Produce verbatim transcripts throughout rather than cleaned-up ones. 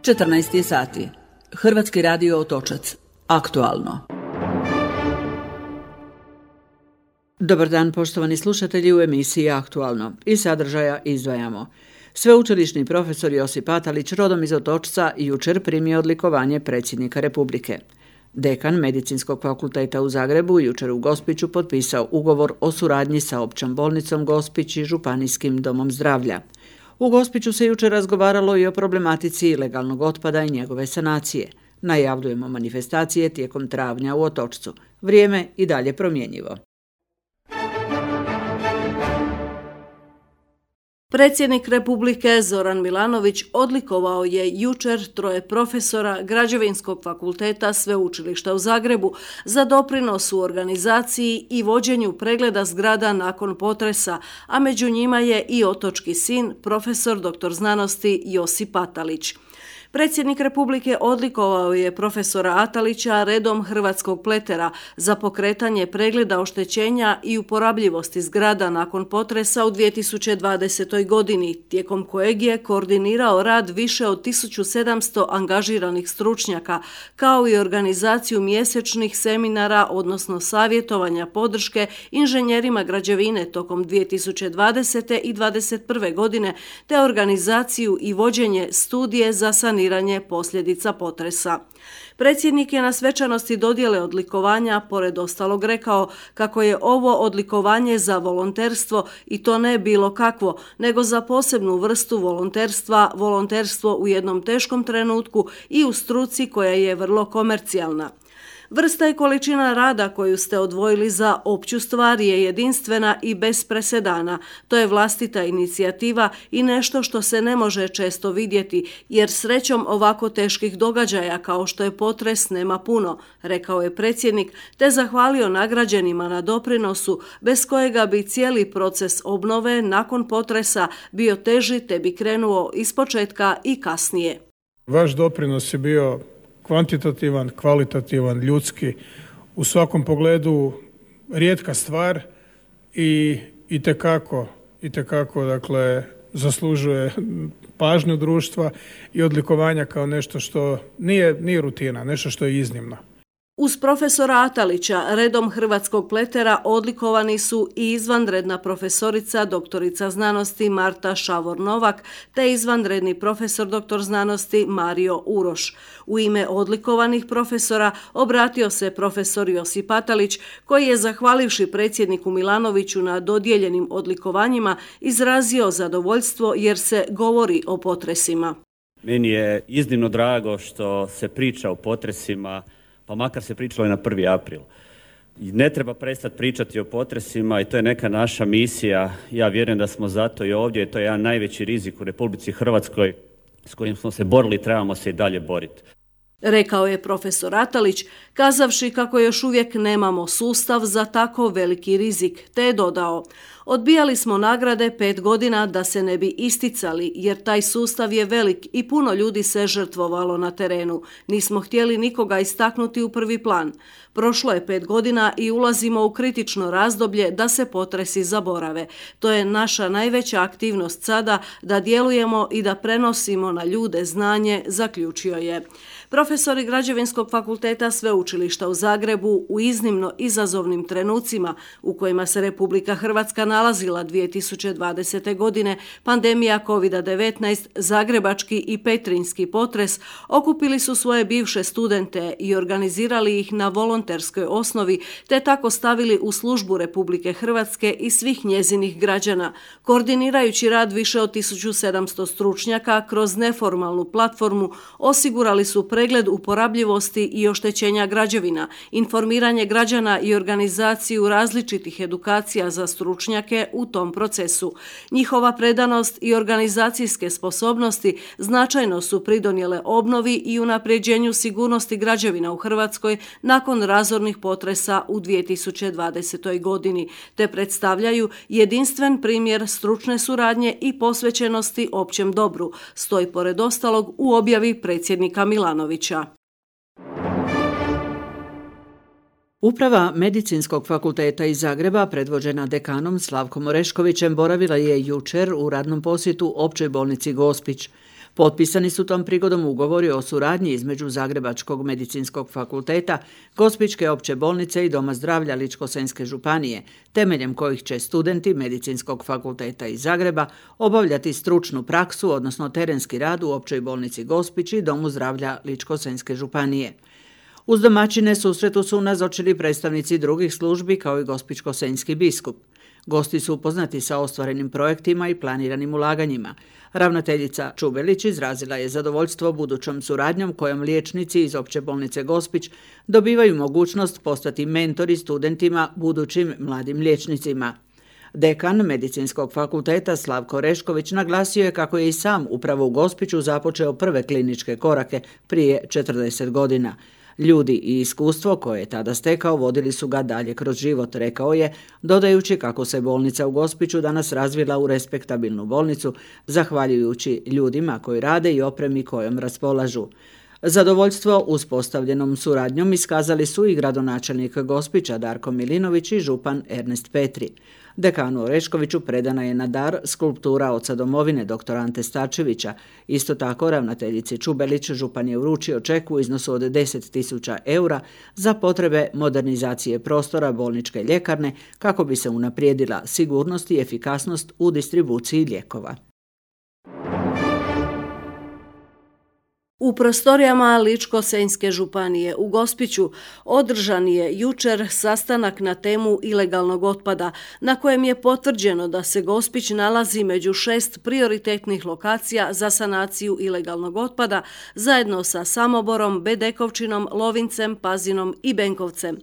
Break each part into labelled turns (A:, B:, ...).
A: četrnaest je sati. Hrvatski radio Otočac. Aktualno. Dobar dan, poštovani slušatelji, u emisiji Aktualno. Iz sadržaja izdvajamo. Sveučilišni profesor Josip Atalić, rodom iz Otočca, jučer primio odlikovanje predsjednika Republike. Dekan Medicinskog fakulteta u Zagrebu jučer u Gospiću potpisao ugovor o suradnji sa Općom bolnicom Gospić i Županijskim domom zdravlja. U Gospiću se jučer razgovaralo i o problematici ilegalnog otpada i njegove sanacije. Najavljujemo manifestacije tijekom travnja u Otočcu. Vrijeme i dalje promjenjivo.
B: Predsjednik Republike Zoran Milanović odlikovao je jučer troje profesora Građevinskog fakulteta Sveučilišta u Zagrebu za doprinos u organizaciji i vođenju pregleda zgrada nakon potresa, a među njima je i otočki sin, profesor doktor znanosti Josip Atalić. Predsjednik Republike odlikovao je profesora Atalića redom Hrvatskog pletera za pokretanje pregleda oštećenja i uporabljivosti zgrada nakon potresa u dvije tisuće dvadesetoj. godini, tijekom kojeg je koordinirao rad više od tisuću sedamsto angažiranih stručnjaka, kao i organizaciju mjesečnih seminara, odnosno savjetovanja podrške inženjerima građevine tokom dvije tisuće dvadesete. i dvadeset prve. godine, te organizaciju i vođenje studije za saniranje posljedica potresa. Predsjednik je na svečanosti dodjele odlikovanja pored ostalog rekao kako je ovo odlikovanje za volonterstvo i to ne bilo kakvo, nego za posebnu vrstu volonterstva, volonterstvo u jednom teškom trenutku i u struci koja je vrlo komercijalna. Vrsta i količina rada koju ste odvojili za opću stvar je jedinstvena i bez presedana. To je vlastita inicijativa i nešto što se ne može često vidjeti, jer srećom ovako teških događaja kao što je potres nema puno, rekao je predsjednik, te zahvalio nagrađenima na doprinosu, bez kojega bi cijeli proces obnove nakon potresa bio teži te bi krenuo ispočetka i kasnije.
C: Vaš doprinos je bio kvantitativan, kvalitativan, ljudski, u svakom pogledu rijetka stvar i itekako, itekako dakle, zaslužuje pažnju društva i odlikovanja kao nešto što nije, nije rutina, nešto što je iznimno.
B: Uz profesora Atalića redom Hrvatskog pletera odlikovani su i izvanredna profesorica doktorica znanosti Marta Šavor-Novak te izvanredni profesor doktor znanosti Mario Uroš. U ime odlikovanih profesora obratio se profesor Josip Atalić, koji je, zahvalivši predsjedniku Milanoviću na dodijeljenim odlikovanjima, izrazio zadovoljstvo jer se govori o potresima.
D: Meni je iznimno drago što se priča o potresima, pa makar se pričalo i na prvi april. Ne treba prestati pričati o potresima i to je neka naša misija. Ja vjerujem da smo zato i ovdje. To je jedan najveći rizik u Republici Hrvatskoj s kojim smo se borili i trebamo se i dalje boriti.
B: Rekao je profesor Atalić, kazavši kako još uvijek nemamo sustav za tako veliki rizik, te je dodao: odbijali smo nagrade pet godina da se ne bi isticali, jer taj sustav je velik i puno ljudi se žrtvovalo na terenu. Nismo htjeli nikoga istaknuti u prvi plan. Prošlo je pet godina i ulazimo u kritično razdoblje da se potresi zaborave. To je naša najveća aktivnost sada, da djelujemo i da prenosimo na ljude znanje, zaključio je. Profesori Građevinskog fakulteta Sveučilišta u Zagrebu u iznimno izazovnim trenucima u kojima se Republika Hrvatska nalazila dvije tisuće dvadesete. godine, pandemija kovid devetnaest, zagrebački i petrinjski potres, okupili su svoje bivše studente i organizirali ih na volonterskoj osnovi, te tako stavili u službu Republike Hrvatske i svih njezinih građana, koordinirajući rad više od tisuću sedamsto stručnjaka kroz neformalnu platformu, osigurali su pregled uporabljivosti i oštećenja građevina, informiranje građana i organizaciju različitih edukacija za stručnjake u tom procesu. Njihova predanost i organizacijske sposobnosti značajno su pridonijele obnovi i unapređenju sigurnosti građevina u Hrvatskoj nakon razornih potresa u dvije tisuće dvadesetoj. godini, te predstavljaju jedinstven primjer stručne suradnje i posvećenosti općem dobru, stoji pored ostalog u objavi predsjednika Milanovića.
A: Uprava Medicinskog fakulteta iz Zagreba, predvođena dekanom Slavkom Oreškovićem, boravila je jučer u radnom posjetu Općoj bolnici Gospić. Potpisani su tom prigodom ugovori o suradnji između Zagrebačkog medicinskog fakulteta, Gospićke opće bolnice i Doma zdravlja Ličko-senjske županije, temeljem kojih će studenti Medicinskog fakulteta iz Zagreba obavljati stručnu praksu, odnosno terenski rad u općoj bolnici Gospić i Domu zdravlja Ličko-senjske županije. Uz domaćine susretu su nazočili predstavnici drugih službi kao i gospićko-senjski biskup. Gosti su upoznati sa ostvarenim projektima i planiranim ulaganjima. Ravnateljica Čubelić izrazila je zadovoljstvo budućom suradnjom kojom liječnici iz opće bolnice Gospić dobivaju mogućnost postati mentori studentima, budućim mladim liječnicima. Dekan Medicinskog fakulteta Slavko Rešković naglasio je kako je i sam upravo u Gospiću započeo prve kliničke korake prije četrdeset godina. Ljudi i iskustvo koje je tada stekao vodili su ga dalje kroz život, rekao je, dodajući kako se bolnica u Gospiću danas razvila u respektabilnu bolnicu, zahvaljujući ljudima koji rade i opremi kojom raspolažu. Zadovoljstvo uspostavljenom suradnjom iskazali su i gradonačelnik Gospića Darko Milinović i župan Ernest Petri. Dekanu Oreškoviću predana je na dar skulptura oca domovine dr. Ante Starčevića. Isto tako ravnateljici Čubelić župan je uručio ček u iznosu od deset tisuća eura za potrebe modernizacije prostora bolničke ljekarne kako bi se unaprijedila sigurnost i efikasnost u distribuciji lijekova.
B: U prostorijama Ličko-senjske županije u Gospiću održan je jučer sastanak na temu ilegalnog otpada, na kojem je potvrđeno da se Gospić nalazi među šest prioritetnih lokacija za sanaciju ilegalnog otpada, zajedno sa Samoborom, Bedekovčinom, Lovincem, Pazinom i Benkovcem.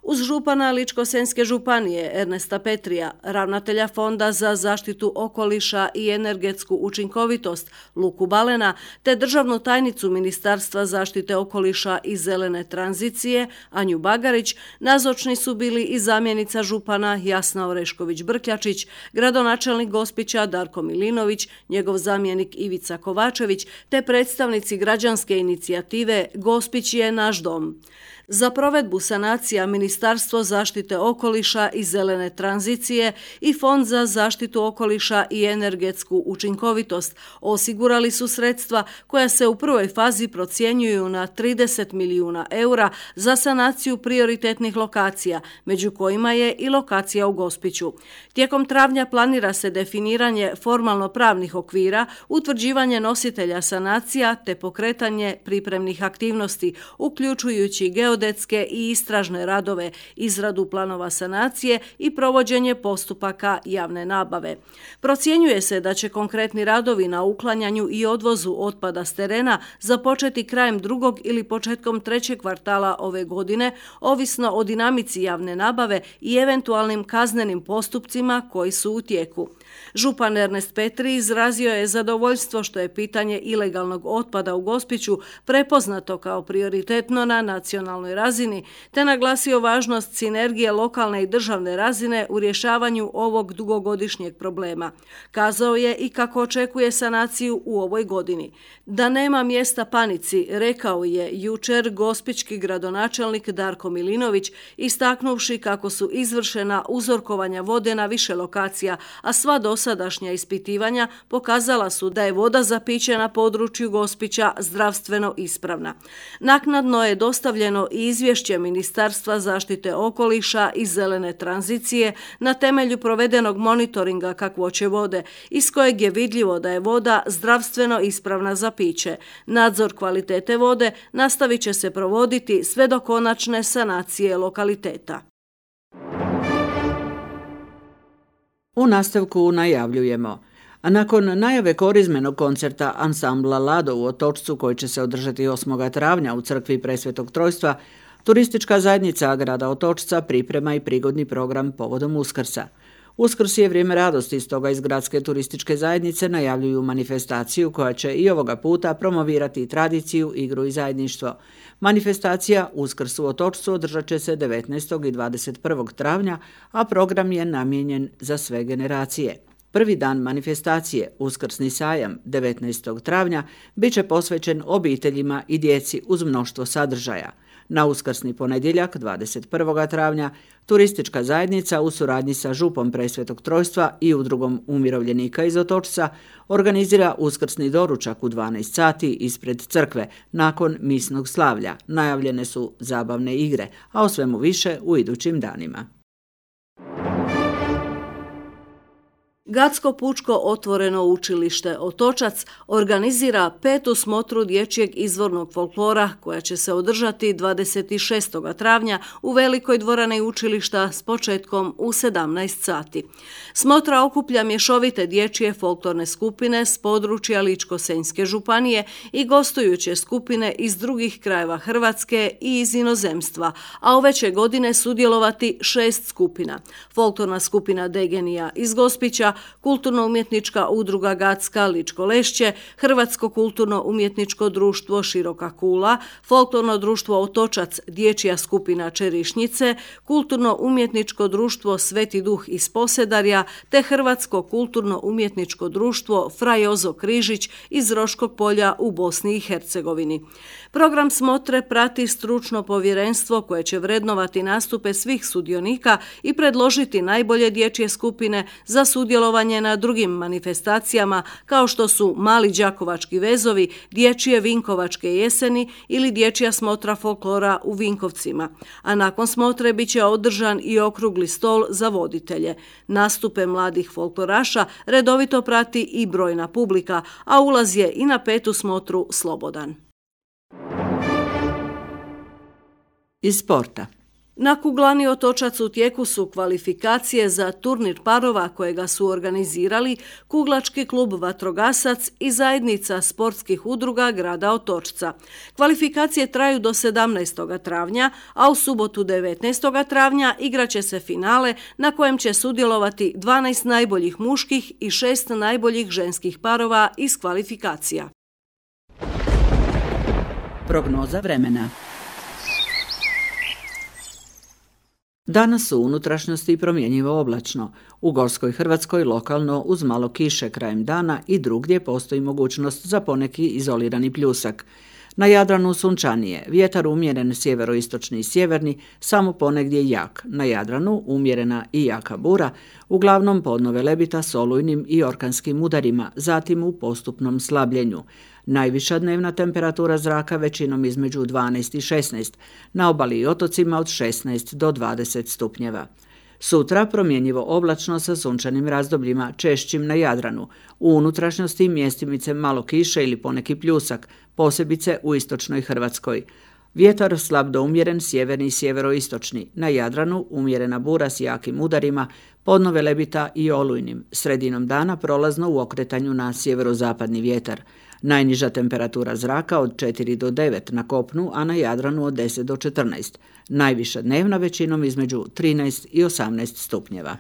B: Uz župana Ličko-senjske županije Ernesta Petrija, ravnatelja Fonda za zaštitu okoliša i energetsku učinkovitost Luku Balena, te državnu tajnicu Ministarstva zaštite okoliša i zelene tranzicije Anju Bagarić, nazočni su bili i zamjenica župana Jasna Orešković-Brkljačić, gradonačelnik Gospića Darko Milinović, njegov zamjenik Ivica Kovačević, te predstavnici građanske inicijative Gospić je naš dom. Za provedbu sanacija Ministarstvo zaštite okoliša i zelene tranzicije i Fond za zaštitu okoliša i energetsku učinkovitost osigurali su sredstva koja se u prvoj fazi procjenjuju na trideset milijuna eura za sanaciju prioritetnih lokacija, među kojima je i lokacija u Gospiću. Tijekom travnja planira se definiranje formalno-pravnih okvira, utvrđivanje nositelja sanacija te pokretanje pripremnih aktivnosti, uključujući geodetske i istražne radove, izradu planova sanacije i provođenje postupaka javne nabave. Procjenjuje se da će konkretni radovi na uklanjanju i odvozu otpada s terena započeti krajem drugog ili početkom trećeg kvartala ove godine, ovisno o dinamici javne nabave i eventualnim kaznenim postupcima koji su u tijeku. Župan Ernest Petri izrazio je zadovoljstvo što je pitanje ilegalnog otpada u Gospiću prepoznato kao prioritetno na nacionalnoj razini, te naglasio važnost sinergije lokalne i državne razine u rješavanju ovog dugogodišnjeg problema. Kazao je i kako očekuje sanaciju u ovoj godini. Da nema mjesta panici, rekao je jučer gospićki gradonačelnik Darko Milinović, istaknuvši kako su izvršena uzorkovanja vode na više lokacija, a sva dosadašnja ispitivanja pokazala su da je voda za piće na području Gospića zdravstveno ispravna. Naknadno je dostavljeno i izvješće Ministarstva zaštite okoliša i zelene tranzicije na temelju provedenog monitoringa kakvoće vode, iz kojeg je vidljivo da je voda zdravstveno ispravna za piće. Nadzor kvalitete vode nastavit će se provoditi sve do konačne sanacije lokaliteta.
A: U nastavku najavljujemo. A nakon najave korizmenog koncerta ansambla Lado u Otočcu koji će se održati osmog travnja u crkvi Presvetog Trojstva, turistička zajednica grada Otočca priprema i prigodni program povodom Uskrsa. Uskrs je vrijeme radosti, stoga iz gradske turističke zajednice najavljuju manifestaciju koja će i ovoga puta promovirati tradiciju, igru i zajedništvo. Manifestacija Uskrs u Otočcu održat će se devetnaestog i dvadeset prvog travnja, a program je namijenjen za sve generacije. Prvi dan manifestacije, Uskrsni sajam, devetnaestog travnja, bit će posvećen obiteljima i djeci uz mnoštvo sadržaja. Na uskrsni ponedjeljak, dvadeset prvog travnja, turistička zajednica u suradnji sa župom Presvetog Trojstva i udrugom umirovljenika iz Otočca organizira uskrsni doručak u dvanaest sati ispred crkve nakon misnog slavlja. Najavljene su zabavne igre, a o svemu više u idućim danima.
B: Gatsko pučko otvoreno učilište Otočac organizira petu smotru dječjeg izvornog folklora koja će se održati dvadeset šestog travnja u velikoj dvorani učilišta s početkom u sedamnaest sati. Smotra okuplja mješovite dječje folklorne skupine s područja Ličko-senjske županije i gostujuće skupine iz drugih krajeva Hrvatske i iz inozemstva, a ove će godine sudjelovati šest skupina. Folklorna skupina Degenija iz Gospića, Kulturno-umjetnička udruga Gatska Ličko Lešće, Hrvatsko kulturno-umjetničko društvo Široka Kula, Folklorno društvo Otočac, dječja skupina Čerišnjice, Kulturno-umjetničko društvo Sveti Duh iz Posedarja te Hrvatsko kulturno-umjetničko društvo Fra Jozo Križić iz Roškog Polja u Bosni i Hercegovini. Program smotre prati stručno povjerenstvo koje će vrednovati nastupe svih sudionika i predložiti najbolje dječje skupine za sudjelovanje na drugim manifestacijama kao što su Mali đakovački vezovi, dječje Vinkovačke jeseni ili dječja smotra folklora u Vinkovcima. A nakon smotre bit će održan i okrugli stol za voditelje. Nastupe mladih folkloraša redovito prati i brojna publika, a ulaz je i na petu smotru slobodan.
A: Iz sporta.
B: Na kuglani Otočac u tijeku su kvalifikacije za turnir parova kojega su organizirali Kuglački klub Vatrogasac i zajednica sportskih udruga grada Otočca. Kvalifikacije traju do sedamnaestog travnja, a u subotu devetnaestog travnja igraće se finale na kojem će sudjelovati dvanaest najboljih muških i šest najboljih ženskih parova iz kvalifikacija.
A: Prognoza vremena. Danas u unutrašnjosti promjenjivo oblačno. U Gorskoj Hrvatskoj lokalno uz malo kiše krajem dana i drugdje postoji mogućnost za poneki izolirani pljusak. Na Jadranu sunčanije, vjetar umjeren sjeveroistočni i sjeverni, samo ponegdje jak. Na Jadranu umjerena i jaka bura, uglavnom podno Velebita s olujnim i orkanskim udarima, zatim u postupnom slabljenju. Najviša dnevna temperatura zraka većinom između dvanaest i šesnaest, na obali i otocima od šesnaest do dvadeset stupnjeva. Sutra promjenjivo oblačno sa sunčanim razdobljima, češćim na Jadranu. U unutrašnjosti mjestimice malo kiše ili poneki pljusak, posebice u istočnoj Hrvatskoj. Vjetar slab do umjeren sjeverni i sjeveroistočni. Na Jadranu umjerena bura s jakim udarima, podno Velebita i olujnim. Sredinom dana prolazno u okretanju na sjeverozapadni vjetar. Najniža temperatura zraka od četiri do devet na kopnu, a na Jadranu od deset do četrnaest. Najviša dnevna većinom između trinaest i osamnaest stupnjeva.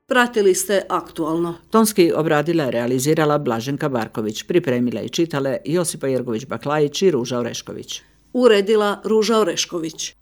B: Pratili ste Aktualno.
A: Tonski obradila je realizirala Blaženka Barković, pripremila i čitale Josipa Jergović-Baklajić i Ruža Orešković.
B: Uredila Ruža Orešković.